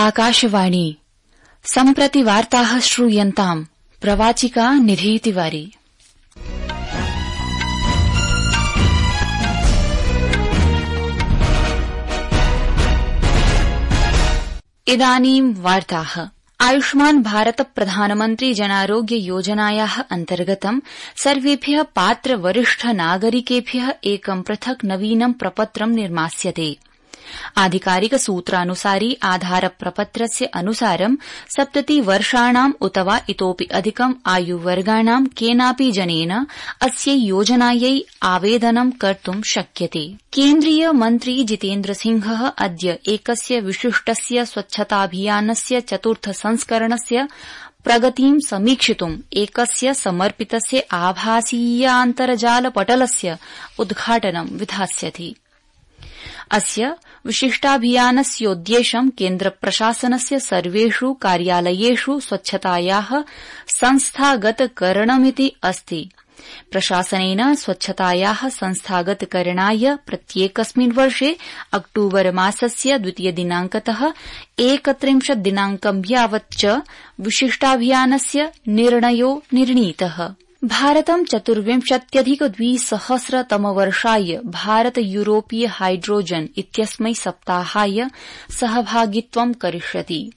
आकाशवाणी सम्प्रति वार्ताः श्रूयन्ताम् प्रवाचिका निधि तिवारी। इदानीं वार्ताः। आयुष्मान भारत प्रधानमन्त्री जनारोग्य योजनायाः अन्तर्गतं सर्वेभ्यः पात्र वरिष्ठ नागरिकेभ्यः एकं पृथक् नवीनं प्रपत्रं निर्मास्यते। आधिकारिक सूत्रानुसारि आधार प्रपत्रस्य अनुसारं 70 वर्षाणाम् उत वा इतोपि अधिकम् आयुवर्गाणां केनापि जनेन अस्यै योजनायै आवेदनं कर्तुं शक्यते। केन्द्रीय मन्त्री जितेन्द्र सिंहः अद्य एकस्य विशिष्टस्य स्वच्छताभियानस्य चतुर्थ संस्करणस्य प्रगतिं समीक्षितुम् एकस्य समर्पितस्य आभासीयान्तर्जाल पटलस्य उद्घाटनं विधास्यति। अस्य विशिष्टाभियानस्योद्देश्यं केन्द्रप्रशासनस्य सर्वेषु कार्यालयेषु स्वच्छतायाः संस्थागतकरणमिति अस्ति। प्रशासनेन स्वच्छतायाः संस्थागतकरणाय प्रत्येकस्मिन् वर्षे अक्टूबर मासस्य 2 दिनांकतः 31 दिनांकं यावत् च विशिष्टाभियानस्य निर्णयो निर्णीतः। भारतं 24,200 तमवर्षाय भारत यूरोपीय हाइड्रोजन इत्यस्मै सप्ताहाय सहभागित्वं करिष्यति।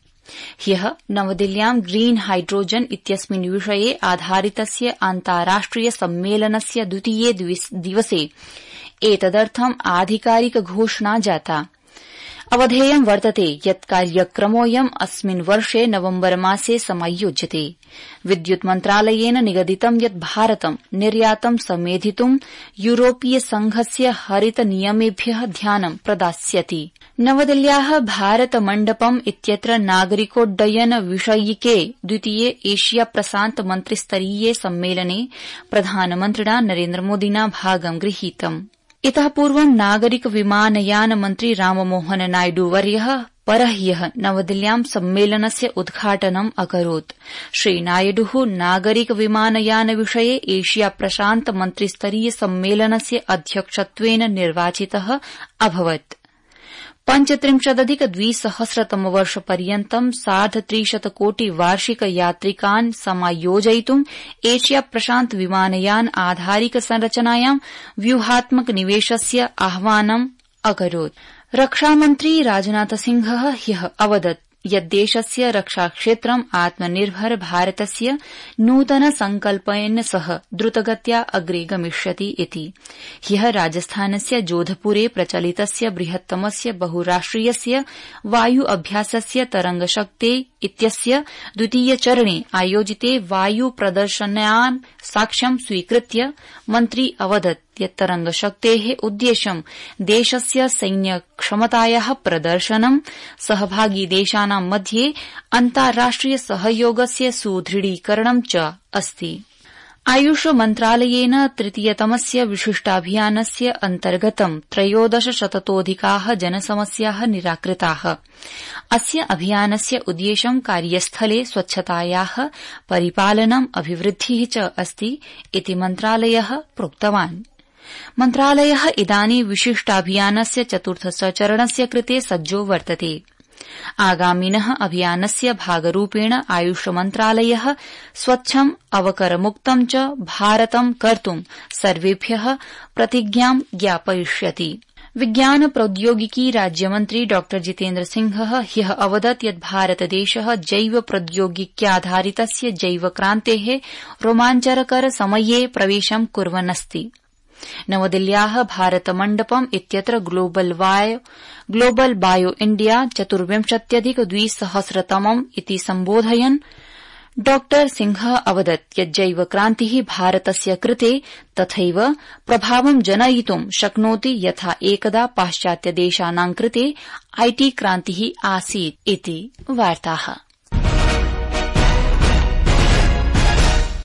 ह्यः नवदिल्ल्यां ग्रीन हाइड्रोजन इत्यस्मिन् विषये आधारितस्य अन्ताराष्ट्रिय सम्मेलनस्य द्वितीये दिवसे एतदर्थम् आधिकारिक घोषणा जाता। अवधेयं वर्तते यत् कार्यक्रमोऽयम् अस्मिन् वर्षे नवम्बर मासे समायोज्यते। विद्युत् मन्त्रालयेन निगदितं यत् भारतं निर्यातं समेधितुं यूरोपीय संघस्य हरित नियमेभ्यः ध्यानं प्रदास्यति। नवदिल्ल्याः भारत मण्डपम् इत्यत्र नागरिकोड्डयन विषयिके द्वितीये एशिया प्रशान्त मन्त्रिस्तरीये सम्मेलने प्रधानमन्त्रिणा नरेन्द्रमोदिना भागं गृहीतम्। इतः पूर्वं नागरिक विमानयान मन्त्री राममोहन नायडूवर्यः परह्यः नवदिल्ल्यां सम्मेलनस्य उद्घाटनम् अकरोत्। श्रीनायडुः नागरिक विमानयान विषये एशिया प्रशान्त मन्त्रिस्तरीय सम्मेलनस्य अध्यक्षत्वेन निर्वाचितः अभवत्। 35,200 तमवर्षपर्यन्तं 350 कोटि वार्षिक यात्रिकान् समायोजयितुं एशिया प्रशान्त विमानयान आधारिक संरचनायां व्यूहात्मक निवेशस्य आह्वानम् अकरोत्। रक्षामन्त्री राजनाथसिंहः ह्यः अवदत् यत् देशस्य रक्षाक्षेत्रम् आत्मनिर्भर भारतस्य नूतन संकल्पेन सह द्रुतगत्या अग्रे गमिष्यति इति। ह्यः राजस्थानस्य जोधपुरे प्रचलितस्य बृहत्तमस्य बहुराष्ट्रियस्य वायु अभ्यासस्य तरंगशक्ते इत्यस्य द्वितीय चरणे आयोजिते वायु प्रदर्शनान् साक्ष्यं स्वीकृत्य मन्त्री अवदत् यत् तरंगशक्तेः उद्देश्यं देशस्य सैन्यक्षमतायाः प्रदर्शनं सहभागी देशानां मध्ये अन्ताराष्ट्रिय सहयोगस्य सुदृढीकरणं च अस्ति। आयुष मन्त्रालयेन तृतीयतमस्य विशिष्टाभियानस्य अन्तर्गतं 13,000 जनसमस्याः निराकृताः। अस्य अभियानस्य उद्देश्यं कार्यस्थले स्वच्छतायाः परिपालनम् अभिवृद्धिः च अस्ति इति मन्त्रालयः प्रोक्तवान्। मन्त्रालयः इदानीं विशिष्टाभियानस्य चतुर्थचरणस्य कृते सज्जो वर्तते। आगामिनः अभियानस्य भागरूपेण आयुष मन्त्रालयः स्वच्छम् अवकरमुक्तं च भारतं कर्तुं सर्वेभ्यः प्रतिज्ञां ज्ञापयिष्यति। विज्ञान प्रौद्योगिकी राज्यमन्त्री डॉ जितेन्द्र सिंहः ह्यः अवदत् यत् भारतदेशः जैव प्रौद्योगिक्याधारितस्य जैवक्रान्तेः रोमाञ्चकर समये प्रवेशं कुर्वन्नस्ति। नवदिल्ल्याः भारत मण्डपम् इत्यत्र ग्लोबल बायो इण्डिया 24,200 इति सम्बोधयन् डॉ सिंहः अवदत् यत् जैवक्रान्तिः भारतस्य कृते तथैव प्रभावं जनयितुं शक्नोति यथा एकदा पाश्चात्यदेशानां कृते IT क्रान्तिः आसीत् इति। वार्ताः।